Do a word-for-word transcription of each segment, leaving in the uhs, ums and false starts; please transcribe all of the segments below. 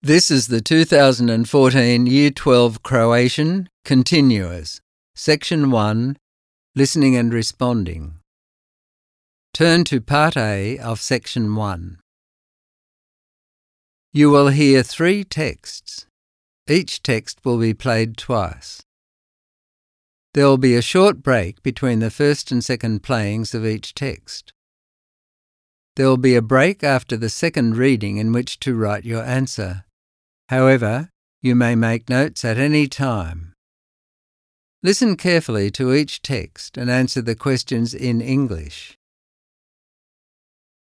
This is the two thousand fourteen Year twelve Croatian Continuous, Section one, Listening and Responding. Turn to Part A of Section one. You will hear three texts. Each text will be played twice. There will be a short break between the first and second playings of each text. There will be a break after the second reading in which to write your answer. However, you may make notes at any time. Listen carefully to each text and answer the questions in English.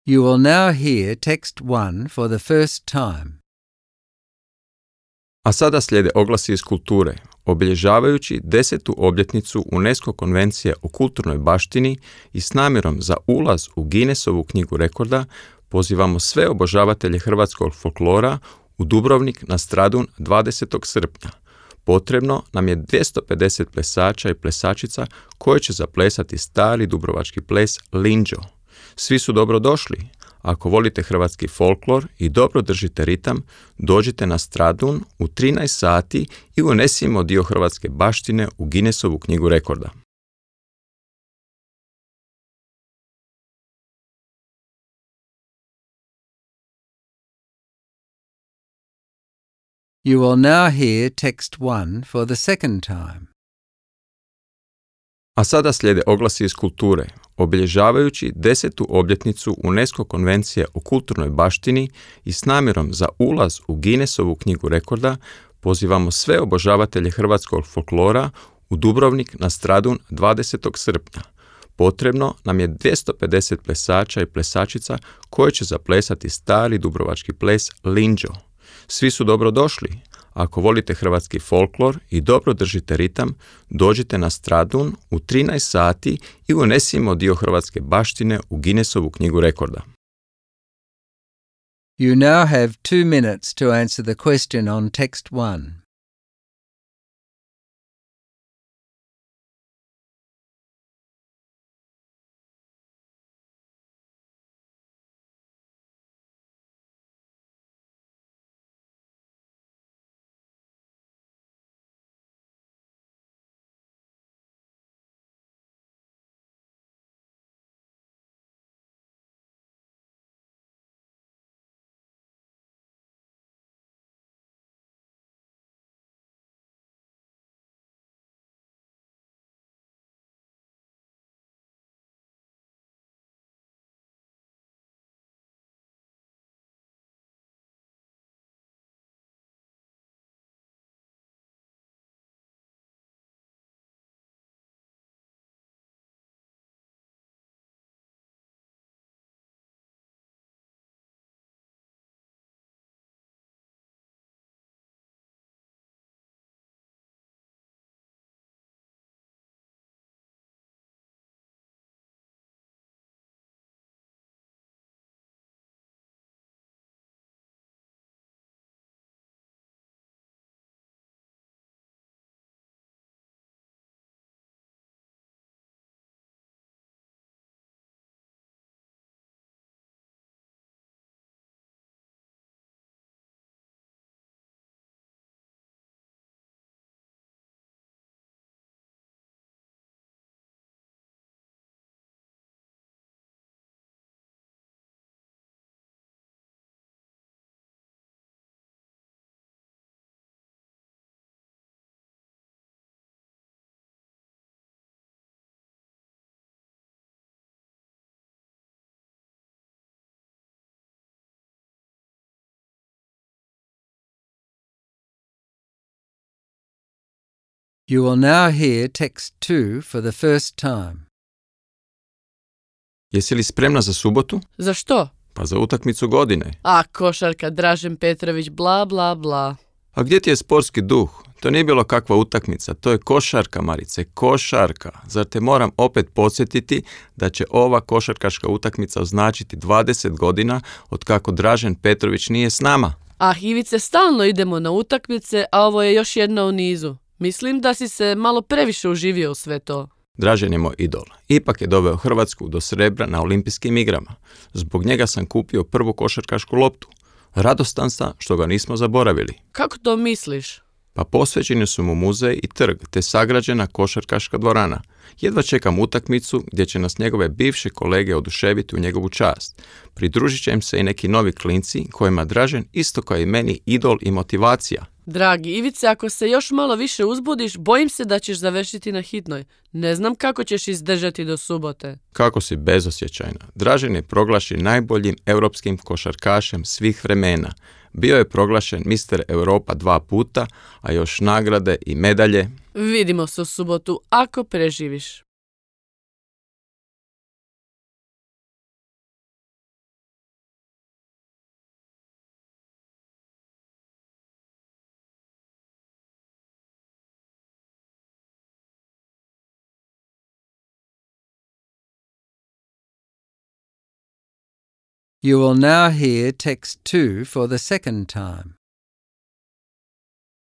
You will now hear text one for the first time. A sada slijede oglasi iz kulture, obilježavajući desetu obljetnicu UNESCO konvencije o kulturnoj baštini i s namjerom za ulaz u Guinnessovu knjigu rekorda pozivamo sve obožavatelje hrvatskog folklora u Dubrovnik na Stradun dvadesetog srpnja. Potrebno nam je dvjesto pedeset plesača i plesačica koji će zaplesati stari dubrovački ples Linđo. Svi su dobro došli. Ako volite hrvatski folklor i dobro držite ritam, dođite na Stradun u trinaest sati i unesimo dio hrvatske baštine u Guinnessovu knjigu rekorda. You will now hear text one for the second time. A sada slijede oglasi iz kulture, obilježavajući desetu obljetnicu UNESCO konvencije o kulturnoj baštini i s namjerom za ulaz u Guinnessovu knjigu rekorda pozivamo sve obožavatelje hrvatskog folklora u Dubrovnik na Stradun dvadesetog srpnja. Potrebno nam je dvjesto pedeset plesača i plesačica koji će zaplesati stari dubrovački ples Linđo. Svi su dobro došli. Ako volite hrvatski folklor i dobro držite ritam, dođite na Stradun u trinaest sati i unesimo dio hrvatske baštine u Guinnessovu knjigu rekorda. You now have two minutes to answer the question on text one. You will now hear text two for the first time. Jesi li spremna za subotu? Za što? Pa za utakmicu godine. A, košarka, Dražen Petrović, bla, bla, bla. A gdje ti je sportski duh? To nije bilo kakva utakmica, to je košarka, Marice, košarka. Zar te moram opet podsjetiti da će ova košarkaška utakmica označiti dvadeset godina od kako Dražen Petrović nije s nama? Ah, Ivice, stalno idemo na utakmice, a ovo je još jedna u nizu. Mislim da si se malo previše uživio u sve to. Dražen je moj idol. Ipak je doveo Hrvatsku do srebra na olimpijskim igrama. Zbog njega sam kupio prvu košarkašku loptu. Radostan sam što ga nismo zaboravili. Kako to misliš? Pa posvećeni su mu muzej i trg, te sagrađena košarkaška dvorana. Jedva čekam utakmicu gdje će nas njegove bivše kolege oduševiti u njegovu čast. Pridružit će im se i neki novi klinci kojima Dražen isto kao i meni idol i motivacija. Dragi Ivice, ako se još malo više uzbudiš, bojim se da ćeš završiti na hitnoj. Ne znam kako ćeš izdržati do subote. Kako si bezosjećajna. Dražen je proglašen najboljim europskim košarkašem svih vremena. Bio je proglašen mister Europa dva puta, a još nagrade i medalje. Vidimo se u subotu ako preživiš. You will now hear text two for the second time.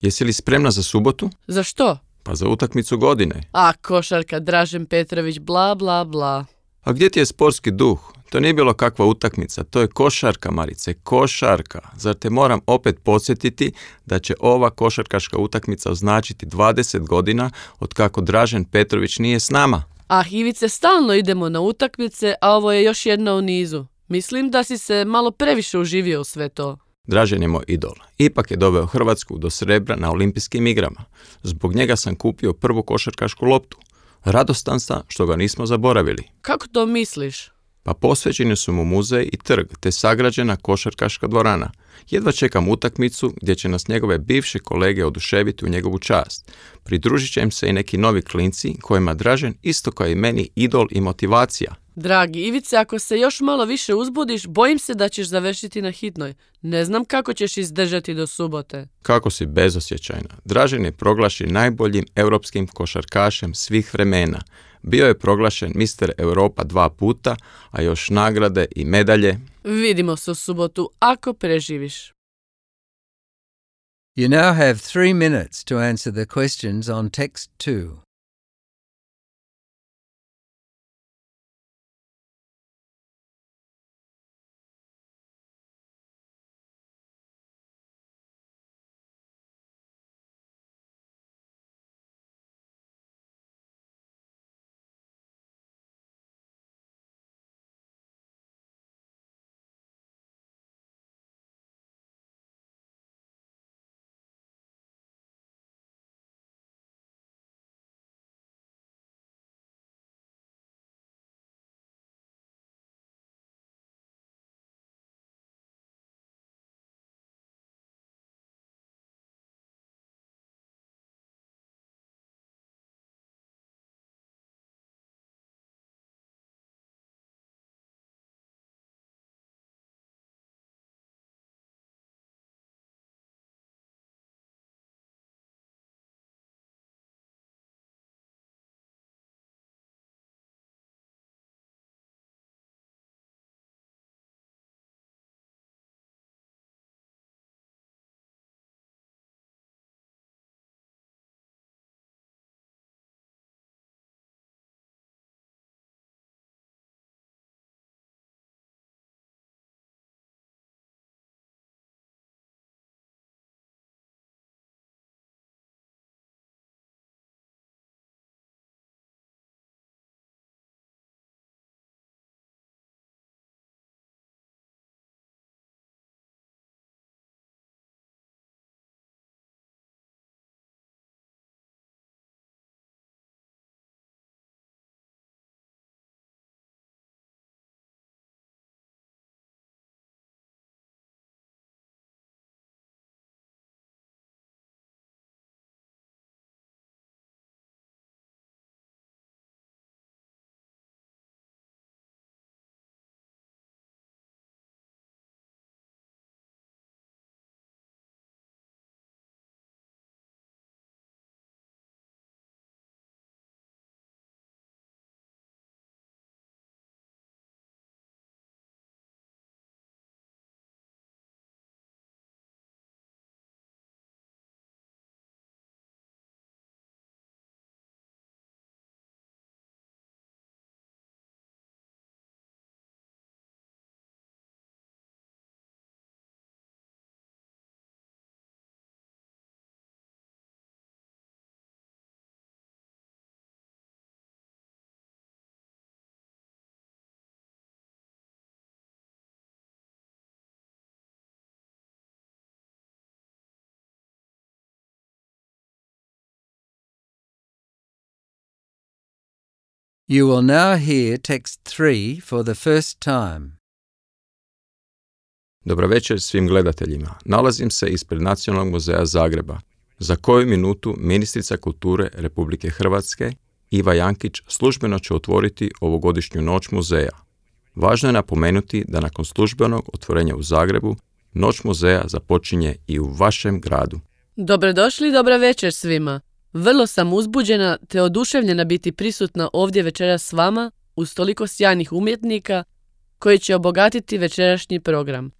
Jesi li spremna za subotu? Za što? Pa za utakmicu godine. A, košarka, Dražen Petrović, bla, bla, bla. A gdje ti je sportski duh? To nije bilo kakva utakmica, to je košarka, Marice, košarka. Zar te moram opet podsjetiti da će ova košarkaška utakmica označiti dvadeset godina od kako Dražen Petrović nije s nama? Ah, Ivice, stalno idemo na utakmice, a ovo je još jedna u nizu. Mislim da si se malo previše uživio u sve to. Dražen je moj idol. Ipak je doveo Hrvatsku do srebra na olimpijskim igrama. Zbog njega sam kupio prvu košarkašku loptu. Radostan sam što ga nismo zaboravili. Kako to misliš? Pa posvećeni su mu muzej i trg, te sagrađena košarkaška dvorana. Jedva čekam utakmicu gdje će nas njegove bivše kolege oduševiti u njegovu čast. Pridružit će im se i neki novi klinci kojima Dražen isto kao i meni idol i motivacija. Dragi Ivice, ako se još malo više uzbudiš, bojim se da ćeš završiti na hitnoj. Ne znam kako ćeš izdržati do subote. Kako si bezosjećajna. Dražen je proglašen najboljim europskim košarkašem svih vremena. Bio je proglašen mister Europa dva puta, a još nagrade i medalje. Vidimo se u subotu ako preživiš. You now have three minutes to answer the questions on text two. You will now hear text three for the first time. Dobro večer svim gledateljima. Nalazim se ispred Nacionalnog muzeja Zagreba. Za koju minutu ministrica kulture Republike Hrvatske Iva Jankić službeno će otvoriti ovogodišnju noć muzeja. Važno je napomenuti da nakon službenog otvorenja u Zagrebu, noć muzeja započinje i u vašem gradu. Dobrodošli i dobra večer svima. Vrlo sam uzbuđena te oduševljena biti prisutna ovdje večeras s vama uz toliko sjajnih umjetnika koji će obogatiti večerašnji program.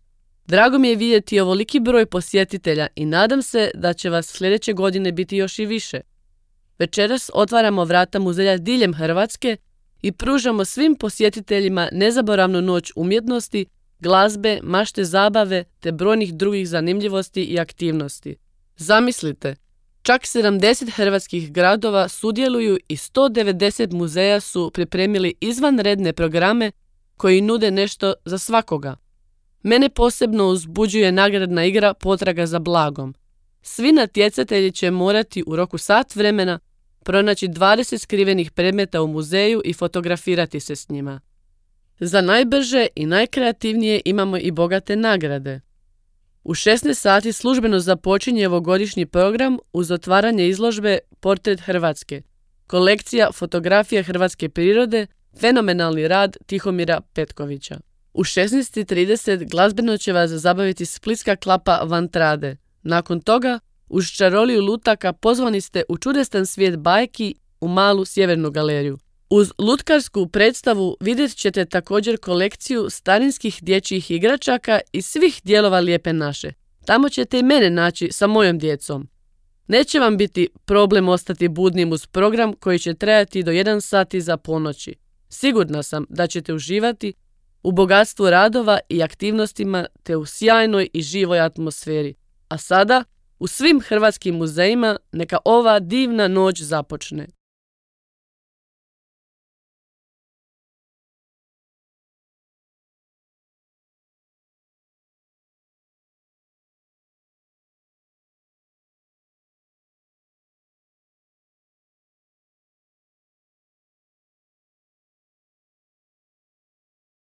Drago mi je vidjeti ovoliki broj posjetitelja i nadam se da će vas sljedeće godine biti još i više. Večeras otvaramo vrata muzeja diljem Hrvatske i pružamo svim posjetiteljima nezaboravnu noć umjetnosti, glazbe, mašte zabave te brojnih drugih zanimljivosti i aktivnosti. Zamislite, čak sedamdeset hrvatskih gradova sudjeluju i sto devedeset muzeja su pripremili izvanredne programe koji nude nešto za svakoga. Mene posebno uzbuđuje nagradna igra Potraga za blagom. Svi natjecatelji će morati u roku sat vremena pronaći dvadeset skrivenih predmeta u muzeju i fotografirati se s njima. Za najbrže i najkreativnije imamo i bogate nagrade. U šesnaest sati službeno započinje ovogodišnji program uz otvaranje izložbe Portret Hrvatske, kolekcija fotografija hrvatske prirode, fenomenalni rad Tihomira Petkovića. U šesnaest i trideset glazbeno će vas zabaviti splitska klapa Vantrade. Nakon toga, uz čaroliju lutaka pozvani ste u čudestan svijet bajki u malu sjevernu galeriju. Uz lutkarsku predstavu vidjet ćete također kolekciju starinskih dječjih igračaka iz svih dijelova Lijepe naše. Tamo ćete i mene naći sa mojom djecom. Neće vam biti problem ostati budnim uz program koji će trajati do jedan sat iza ponoći. Sigurna sam da ćete uživati u bogatstvu radova i aktivnostima te u sjajnoj i živoj atmosferi. A sada, u svim hrvatskim muzejima neka ova divna noć započne.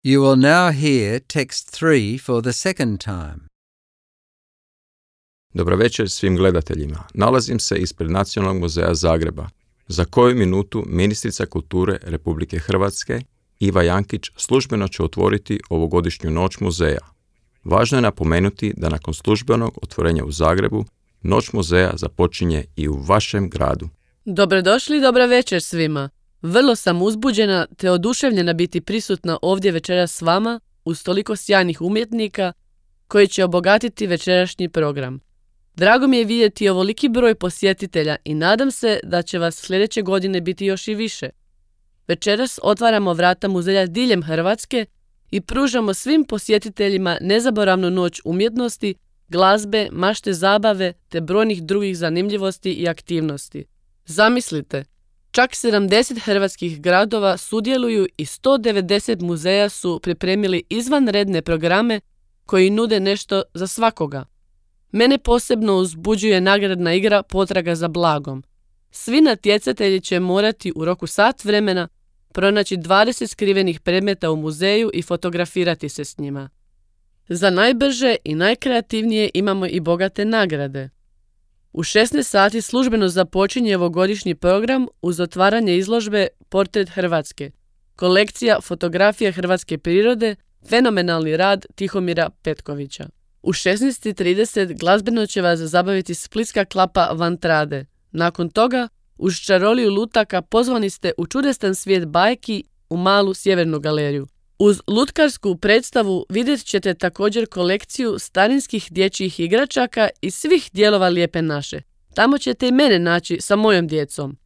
You will now hear text three for the second time. Dobro večer svim gledateljima. Nalazim se ispred Nacionalnog muzeja Zagreba. Za koju minutu ministrica kulture Republike Hrvatske Iva Jankić službeno će otvoriti ovogodišnju noć muzeja. Važno je napomenuti da nakon službenog otvorenja u Zagrebu, noć muzeja započinje i u vašem gradu. Dobrodošli i dobra večer svima. Vrlo sam uzbuđena te oduševljena biti prisutna ovdje večeras s vama uz toliko sjajnih umjetnika koji će obogatiti večerašnji program. Drago mi je vidjeti ovoliki broj posjetitelja i nadam se da će vas sljedeće godine biti još i više. Večeras otvaramo vrata muzeja diljem Hrvatske i pružamo svim posjetiteljima nezaboravnu noć umjetnosti, glazbe, mašte zabave te brojnih drugih zanimljivosti i aktivnosti. Zamislite, čak sedamdeset hrvatskih gradova sudjeluju i sto devedeset muzeja su pripremili izvanredne programe koji nude nešto za svakoga. Mene posebno uzbuđuje nagradna igra Potraga za blagom. Svi natjecatelji će morati u roku sat vremena pronaći dvadeset skrivenih predmeta u muzeju i fotografirati se s njima. Za najbrže i najkreativnije imamo i bogate nagrade. U šesnaest sati službeno započinje ovogodišnji program uz otvaranje izložbe Portret Hrvatske, kolekcija fotografija hrvatske prirode, fenomenalni rad Tihomira Petkovića. U šesnaest i trideset glazbeno će vas zabaviti splitska klapa Vantrade. Nakon toga, uz čaroliju lutaka pozvani ste u čudestan svijet bajki u malu sjevernu galeriju. Uz lutkarsku predstavu vidjet ćete također kolekciju starinskih dječjih igračaka iz svih dijelova Lijepe naše. Tamo ćete i mene naći sa mojom djecom.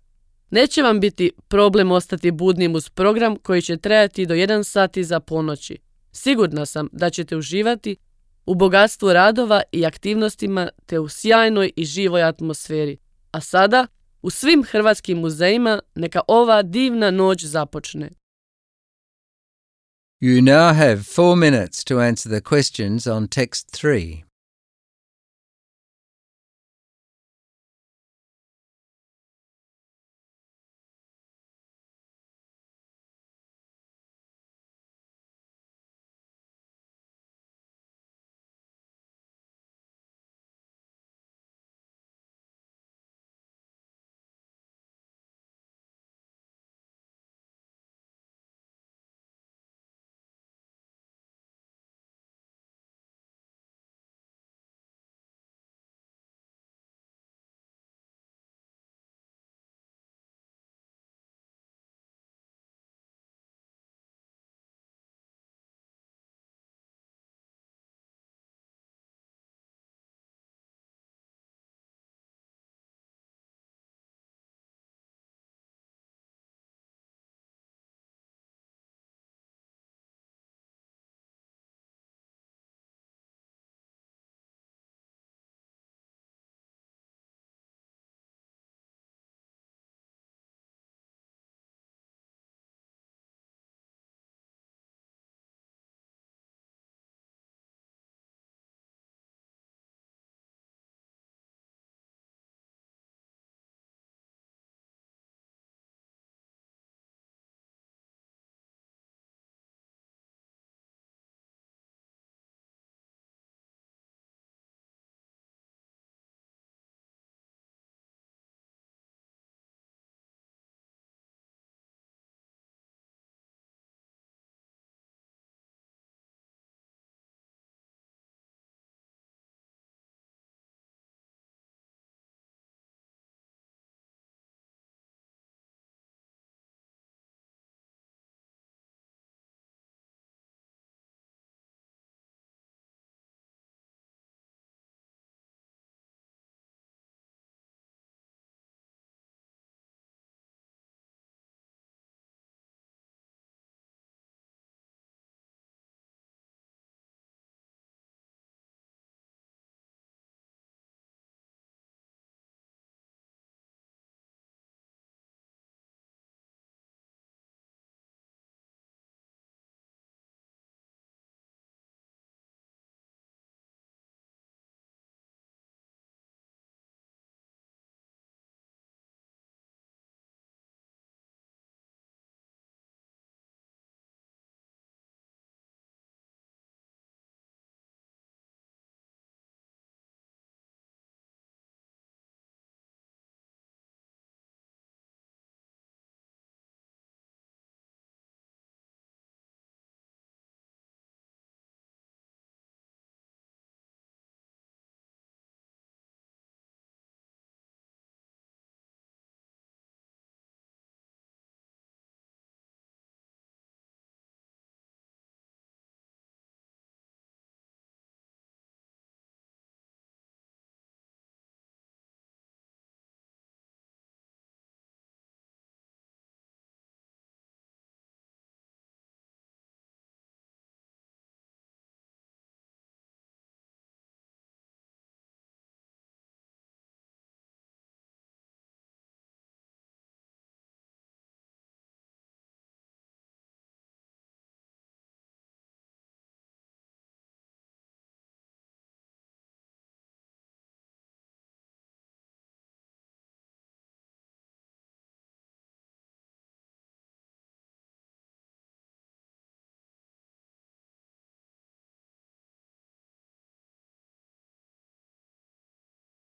Neće vam biti problem ostati budnim uz program koji će trajati do jedan sat iza ponoći. Sigurna sam da ćete uživati u bogatstvu radova i aktivnostima te u sjajnoj i živoj atmosferi. A sada, u svim hrvatskim muzejima neka ova divna noć započne. You now have four minutes to answer the questions on text three.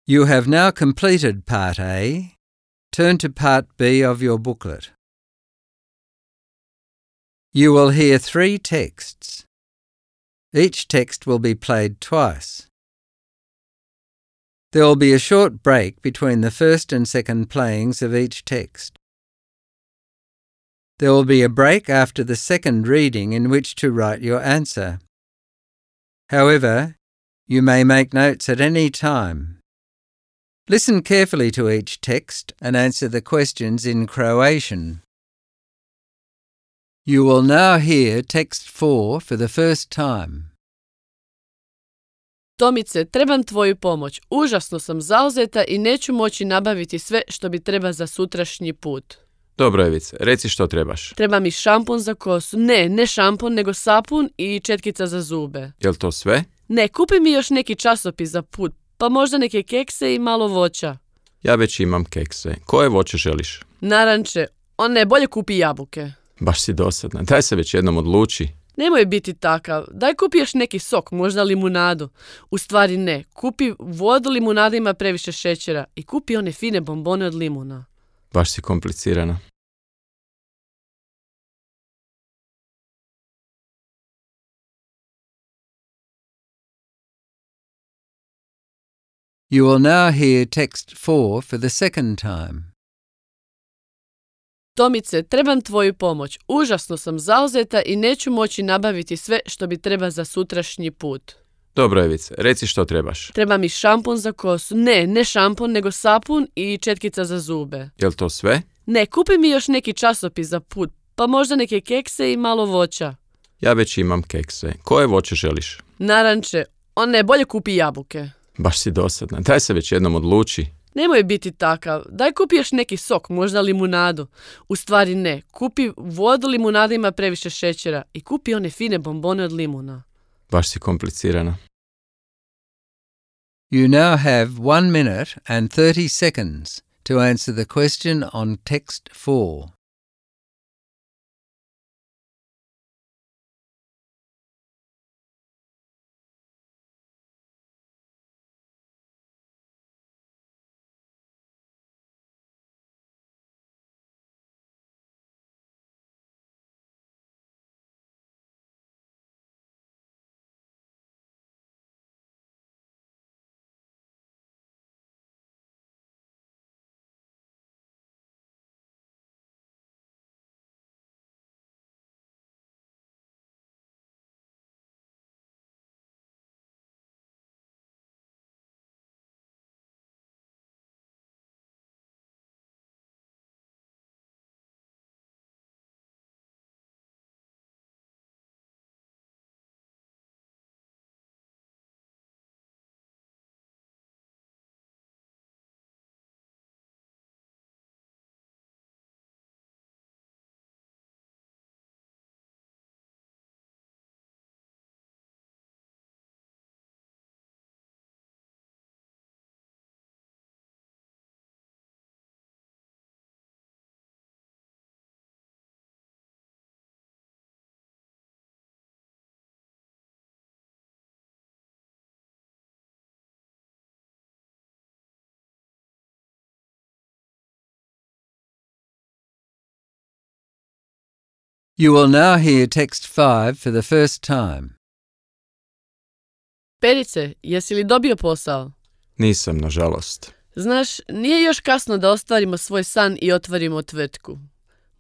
You have now completed Part A. Turn to Part B of your booklet. You will hear three texts. Each text will be played twice. There will be a short break between the first and second playings of each text. There will be a break after the second reading in which to write your answer. However, you may make notes at any time. Listen carefully to each text and answer the questions in Croatian. You will now hear text four for the first time. Tomice, trebam tvoju pomoć. Užasno sam zauzeta i neću moći nabaviti sve što bi treba za sutrašnji put. Dobro, Evice, reci što trebaš. Treba mi šampon za kosu. Ne, ne šampon, nego sapun i četkica za zube. Jel to sve? Ne, kupi mi još neki časopis za put, pa možda neke kekse i malo voća. Ja već imam kekse. Koje voće želiš? Naranče, on ne, bolje kupi jabuke. Baš si dosadna. Daj se već jednom odluči. Nemoj biti takav. Daj kupi još neki sok, možda limunadu. U stvari ne. Kupi vodu, limunada ima previše šećera. I kupi one fine bombone od limuna. Baš si komplicirana. You will now hear text four for the second time. Tomice, trebam tvoju pomoć. Užasno sam zauzeta i neću moći nabaviti sve što bi treba za sutrašnji put. Dobro, Evice, reci što trebaš. Treba mi šampon za kosu. Ne, ne šampon, nego sapun i četkica za zube. Jel to sve? Ne, kupi mi još neki časopis za put, pa možda neke kekse i malo voća. Ja već imam kekse. Koje voće želiš? Naranče, on ne, bolje kupi jabuke. Baš si dosadna. Daj se već jednom odluči. Nemoj biti takav. Daj kupi još neki sok, možda limunadu. U stvari ne. Kupi vodu, limunada ima previše šećera. I kupi one fine bombone od limuna. Baš si komplicirana. You now have one minute and thirty seconds to answer the question on text four. You will now hear text five for the first time. Perice, jesi li dobio posao? Nisam, nažalost. Znaš, nije još kasno da ostvarimo svoj san i otvorimo tvrtku.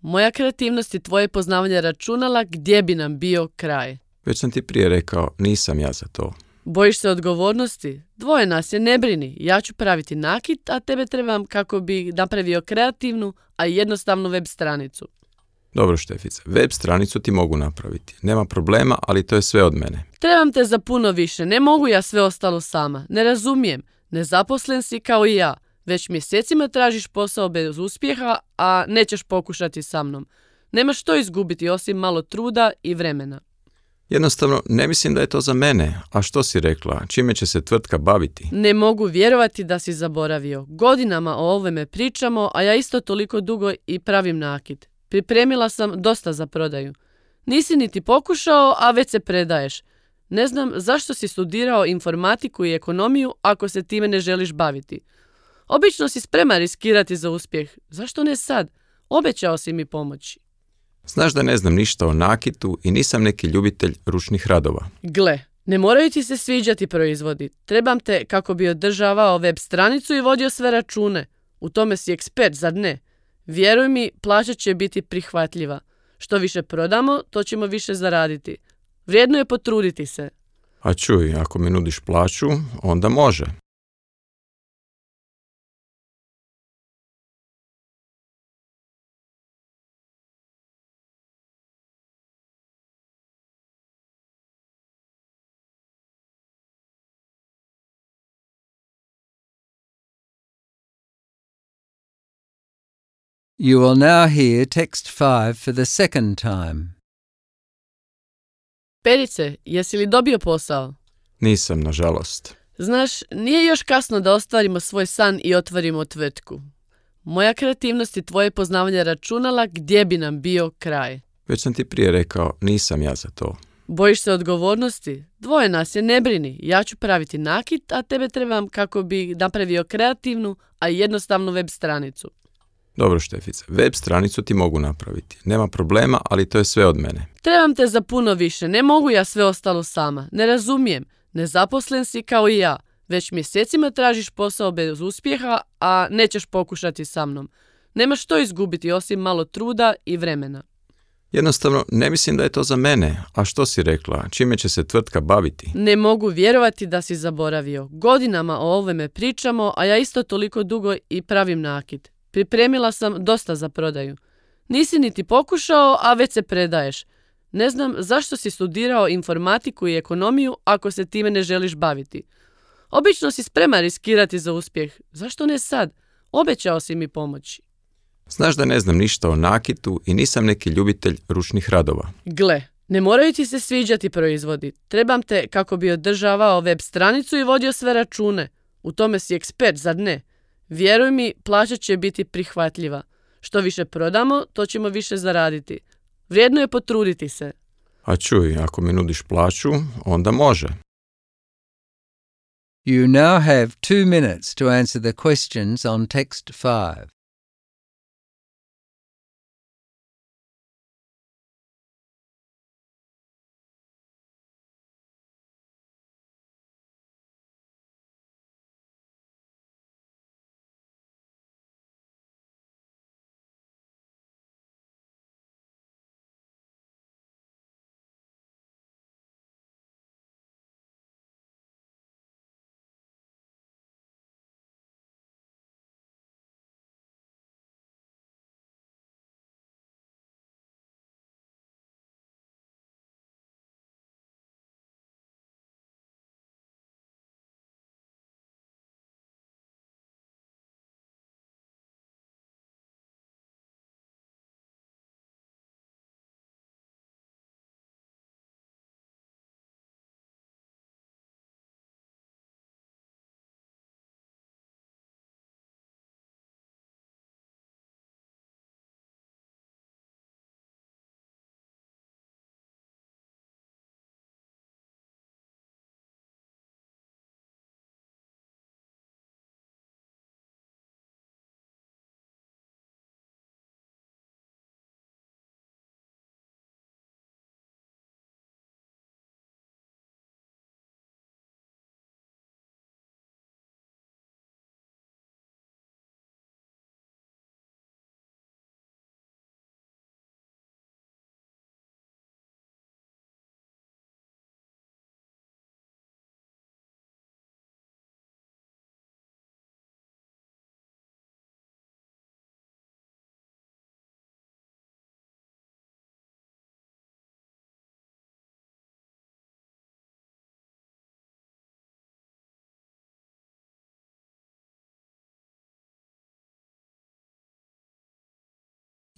Moja kreativnost i tvoje poznavanje računala gdje bi nam bio kraj. Već sam ti prije rekao, nisam ja za to. Bojiš se odgovornosti? Dvoje nas je, ne brini. Ja ću praviti nakit, a tebe trebam kako bi napravio kreativnu, a jednostavnu web stranicu. Dobro, Štefice, web stranicu ti mogu napraviti. Nema problema, ali to je sve od mene. Trebam te za puno više, ne mogu ja sve ostalo sama. Ne razumijem, nezaposlen si kao i ja. Već mjesecima tražiš posao bez uspjeha, a nećeš pokušati sa mnom. Nemaš što izgubiti osim malo truda i vremena. Jednostavno, ne mislim da je to za mene. A što si rekla? Čime će se tvrtka baviti? Ne mogu vjerovati da si zaboravio. Godinama o ovome pričamo, a ja isto toliko dugo i pravim nakit. Pripremila sam dosta za prodaju. Nisi niti pokušao, a već se predaješ. Ne znam zašto si studirao informatiku i ekonomiju ako se time ne želiš baviti. Obično si spreman riskirati za uspjeh. Zašto ne sad? Obećao si mi pomoći. Znaš da ne znam ništa o nakitu i nisam neki ljubitelj ručnih radova. Gle, ne moraju ti se sviđati proizvodi. Trebam te kako bi održavao web stranicu i vodio sve račune. U tome si ekspert, zar ne? Vjeruj mi, plaća će biti prihvatljiva. Što više prodamo, to ćemo više zaraditi. Vrijedno je potruditi se. A čuj, ako mi nudiš plaću, onda može. You will now hear text five for the second time. Perice, jesi li dobio posao? Nisam, nažalost. Znaš, nije još kasno da ostvarimo svoj san i otvorimo tvrtku. Moja kreativnost i tvoje poznavanje računala gdje bi nam bio kraj. Već sam ti prije rekao, nisam ja za to. Bojiš se odgovornosti? Dvoje nas je, ne brini. Ja ću praviti nakit, a tebe trebam kako bi napravio kreativnu, a jednostavnu web stranicu. Dobro, Štefice, web stranicu ti mogu napraviti. Nema problema, ali to je sve od mene. Trebam te za puno više, ne mogu ja sve ostalo sama. Ne razumijem, nezaposlen si kao i ja. Već mjesecima tražiš posao bez uspjeha, a nećeš pokušati sa mnom. Nemaš što izgubiti osim malo truda i vremena. Jednostavno, ne mislim da je to za mene. A što si rekla? Čime će se tvrtka baviti? Ne mogu vjerovati da si zaboravio. Godinama o ovome pričamo, a ja isto toliko dugo i pravim nakit. Pripremila sam dosta za prodaju. Nisi niti pokušao, a već se predaješ. Ne znam zašto si studirao informatiku i ekonomiju ako se time ne želiš baviti. Obično si spreman riskirati za uspjeh. Zašto ne sad? Obećao si mi pomoći. Znaš da ne znam ništa o nakitu i nisam neki ljubitelj ručnih radova. Gle, ne moraju ti se sviđati proizvodi. Trebam te kako bi održavao web stranicu i vodio sve račune. U tome si ekspert, zar ne? Vjeruj mi, plaća će biti prihvatljiva. Što više prodamo, to ćemo više zaraditi. Vrijedno je potruditi se. A čuj, ako mi nudiš plaću, onda može. You now have two minutes to answer the questions on text five.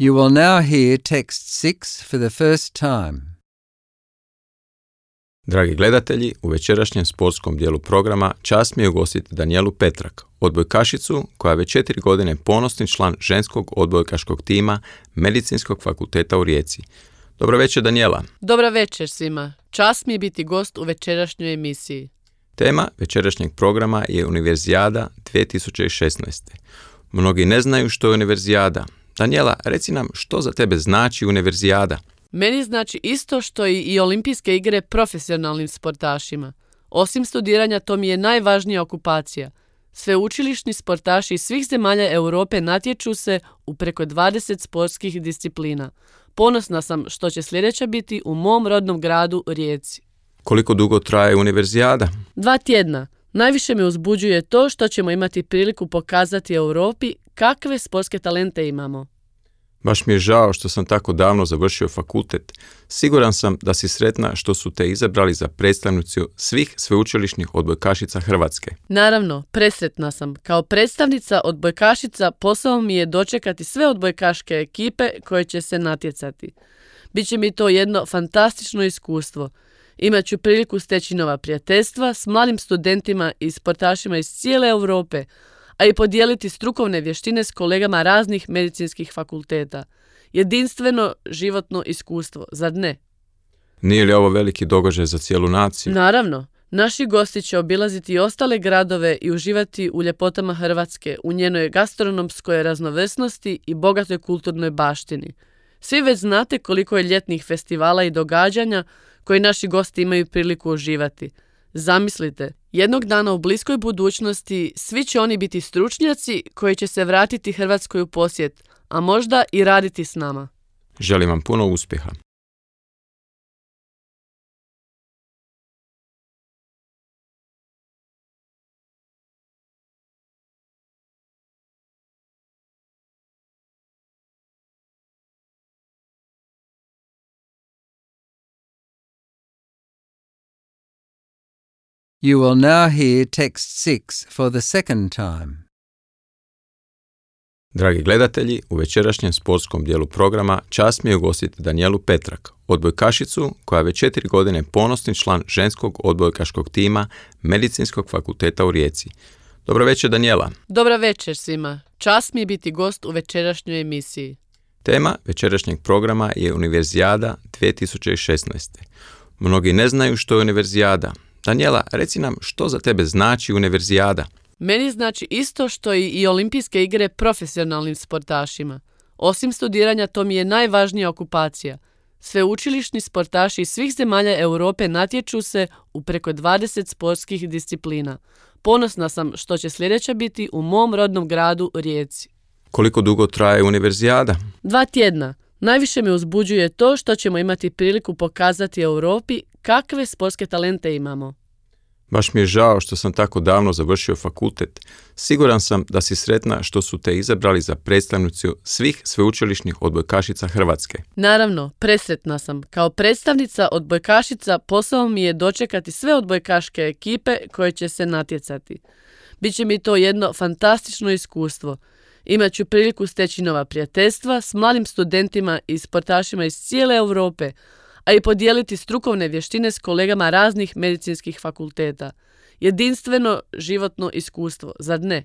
You will now hear text six for the first time. Dragi gledatelji, u večerašnjem sportskom dijelu programa čast mi je ugostiti Danijelu Petrak, odbojkašicu koja je već četiri godine ponosni član ženskog odbojkaškog tima Medicinskog fakulteta u Rijeci. Dobro večer, Danijela. Dobra večer svima. Čast mi je biti gost u večerašnjoj emisiji. Tema večerašnjeg programa je Univerzijada dvije tisuće šesnaeste. Mnogi ne znaju što je Univerzijada. Danijela, reci nam što za tebe znači Univerzijada. Meni znači isto što i, i olimpijske igre profesionalnim sportašima. Osim studiranja, to mi je najvažnija okupacija. Sveučilišni sportaši iz svih zemalja Europe natječu se u preko dvadeset sportskih disciplina. Ponosna sam što će sljedeća biti u mom rodnom gradu Rijeci. Koliko dugo traje Univerzijada? Dva tjedna. Najviše me uzbuđuje to što ćemo imati priliku pokazati Europi kakve sportske talente imamo. Baš mi je žao što sam tako davno završio fakultet. Siguran sam da si sretna što su te izabrali za predstavnicu svih sveučilišnih odbojkašica Hrvatske. Naravno, presretna sam. Kao predstavnica odbojkašica posao mi je dočekati sve odbojkaške ekipe koje će se natjecati. Biće mi to jedno fantastično iskustvo. Imaću priliku steći nova prijateljstva s mladim studentima i sportašima iz cijele Europe, a i podijeliti strukovne vještine s kolegama raznih medicinskih fakulteta. Jedinstveno životno iskustvo, zar ne? Nije li ovo veliki događaj za cijelu naciju? Naravno, naši gosti će obilaziti i ostale gradove i uživati u ljepotama Hrvatske, u njenoj gastronomskoj raznovrsnosti i bogatoj kulturnoj baštini. Svi već znate koliko je ljetnih festivala i događanja koji naši gosti imaju priliku uživati. Zamislite, jednog dana u bliskoj budućnosti svi će oni biti stručnjaci koji će se vratiti Hrvatskoj u posjet, a možda i raditi s nama. Želim vam puno uspjeha. You will now hear text six for the second time. Dragi gledatelji, u večerašnjem sportskom dijelu programa čast mi je ugostiti Danijelu Petrak, odbojkašicu koja već četiri godine ponosni član ženskog odbojkaškog tima Medicinskog fakulteta u Rijeci. Dobro večer, Danijela. Dobra večer svima. Čast mi je biti gost u večerašnjoj emisiji. Tema večerašnjeg programa je Univerzijada dvije tisuće šesnaeste. Mnogi ne znaju što je Univerzijada. Danijela, reci nam što za tebe znači Univerzijada. Meni znači isto što i, i olimpijske igre profesionalnim sportašima. Osim studiranja, to mi je najvažnija okupacija. Sveučilišni sportaši iz svih zemalja Europe natječu se u preko dvadeset sportskih disciplina. Ponosna sam što će sljedeća biti u mom rodnom gradu Rijeci. Koliko dugo traje Univerzijada? Dva tjedna. Najviše me uzbuđuje to što ćemo imati priliku pokazati Europi kakve sportske talente imamo. Baš mi je žao što sam tako davno završio fakultet. Siguran sam da si sretna što su te izabrali za predstavnicu svih sveučilišnih odbojkašica Hrvatske. Naravno, presretna sam. Kao predstavnica odbojkašica posao mi je dočekati sve odbojkaške ekipe koje će se natjecati. Biće mi to jedno fantastično iskustvo. Imaću priliku steći nova prijateljstva s mladim studentima i sportašima iz cijele Europe, a i podijeliti strukovne vještine s kolegama raznih medicinskih fakulteta. Jedinstveno životno iskustvo, zar ne?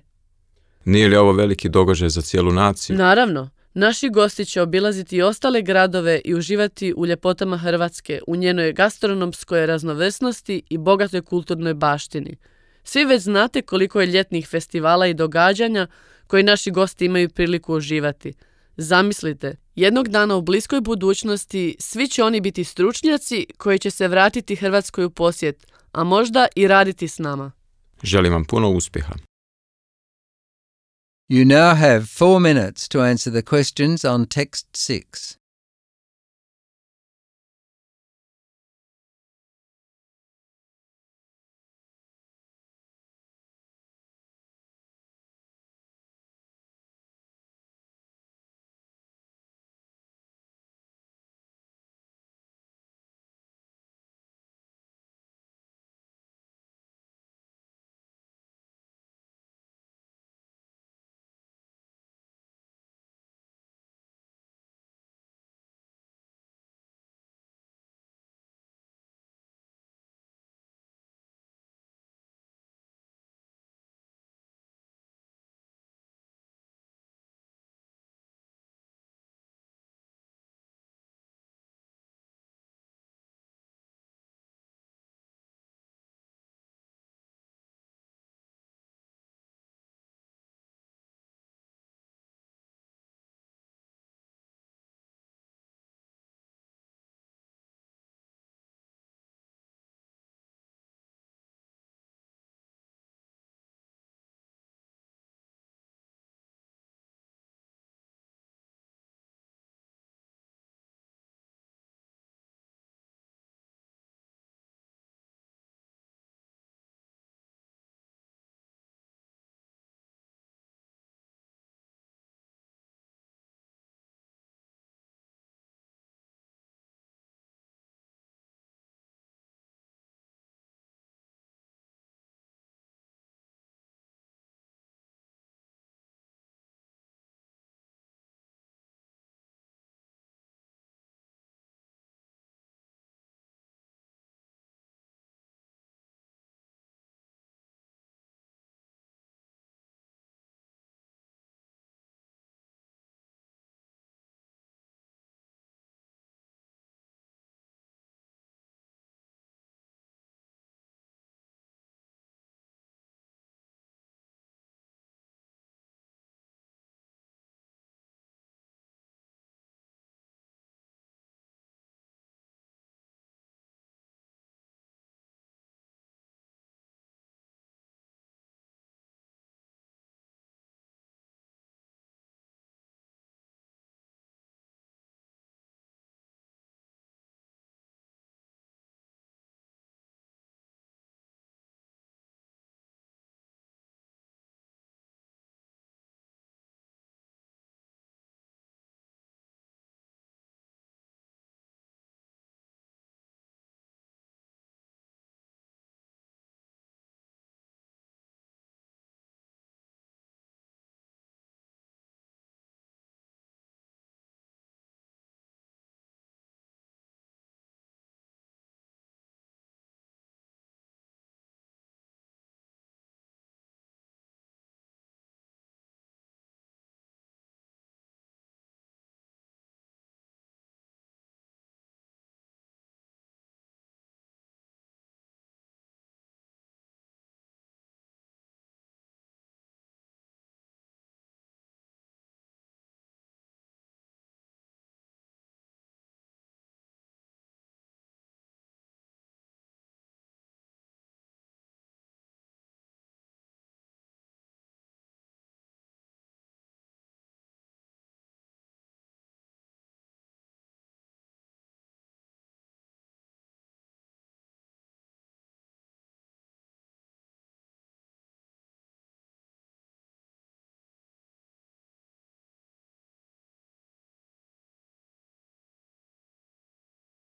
Nije li ovo veliki događaj za cijelu naciju? Naravno, naši gosti će obilaziti i ostale gradove i uživati u ljepotama Hrvatske, u njenoj gastronomskoj raznovrsnosti i bogatoj kulturnoj baštini. Svi već znate koliko je ljetnih festivala i događanja koji naši gosti imaju priliku uživati. Zamislite, jednog dana u bliskoj budućnosti svi će oni biti stručnjaci koji će se vratiti Hrvatskoj u posjet, a možda i raditi s nama. Želim vam puno uspjeha. You now have four minutes to answer the questions on text six.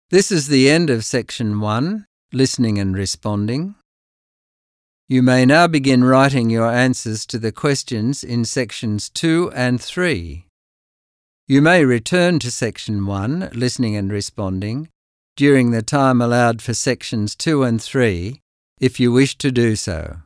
This is the end of section one, listening and responding. You may now begin writing your answers to the questions in sections two and three. You may return to section one, listening and responding, during the time allowed for sections two and three, if you wish to do so.